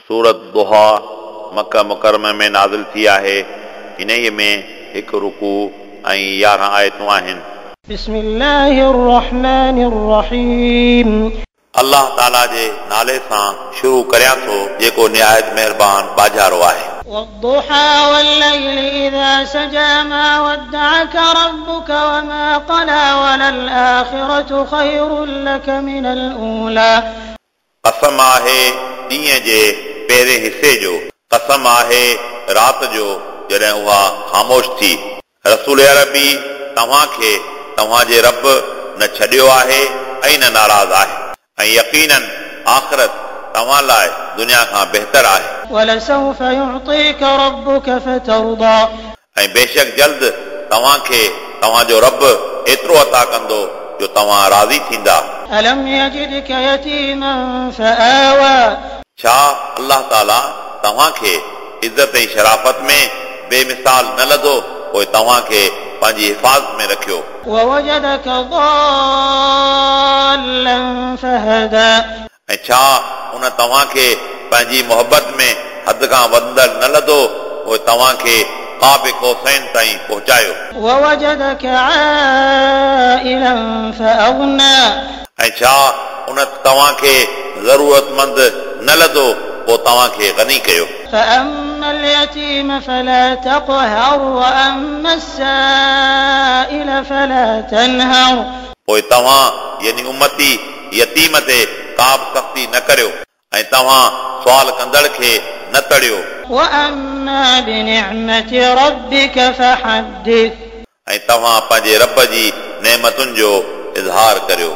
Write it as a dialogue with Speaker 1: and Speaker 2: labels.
Speaker 1: سورت ضحيٰ مڪه مڪرمه ۾ نازل ٿي آهي. انهيء ۾ هڪ رڪوع ۽ 11 آيتون آهن.
Speaker 2: بسم الله الرحمن الرحيم.
Speaker 1: الله تعاليٰ جي نالي سان شروع ڪريان ٿو جيڪو نهايت مهربان ٻاجهارو آهي.
Speaker 2: والضحيٰ والليل اذا سجيٰ ما ودعک ربک وما قليٰ وللآخرة خير لک من الاوليٰ.
Speaker 1: قسم آهي ڏينهن جي پهرين حصي جو، قسم آهي رات جو جڏهن اها خاموش ٿي. رسول عربي توهان کي توهان جي رب نه ڇڏيو آهي ۽ نه ناراض آهي ۽ يقيناً آخرت توهان لاء دنيا کان بهتر آهي.
Speaker 2: ولسوف يعطيک ربک فترضيٰ.
Speaker 1: ۽ بيشڪ جلد توهان کي توهان جو رب ايترو عطا ڪندو جو توهان راضي ٿيندا.
Speaker 2: الم يجدک يتيما فآويٰ.
Speaker 1: ڇا الله تعاليٰ توهان کي عزت ۽ شرافت ۾ بي مثال نه لڌو پوء توهان کي پنهنجي حفاظت ۾ رکيو.
Speaker 2: ووجدک ضالا فهديٰ.
Speaker 1: ۽ ڇا ان توهان کي پنهنجي محبت ۾ حد کان وڌندڙ نه لڌو، پوء توهان کي قاب قوسين تائين پهچايو.
Speaker 2: ووجدک عائلا فاغنيٰ.
Speaker 1: ۽ ڇا ان توهان کي ضرورتمند نه لڌو، پوء توهان کي غني ڪيو.
Speaker 2: فاما اليتيم فلا تقهر واما السائل فلا تنهر.
Speaker 1: پوء توهان، يعني امتي، يتيم تي ڪابه سختي نه ڪريو ۽ توهان سوال ڪندڙ کي نه تڙيو.
Speaker 2: واما بنعمة ربک فحدث.
Speaker 1: ۽ توهان پنهنجي رب جي نعمتن جو اظهار ڪريو.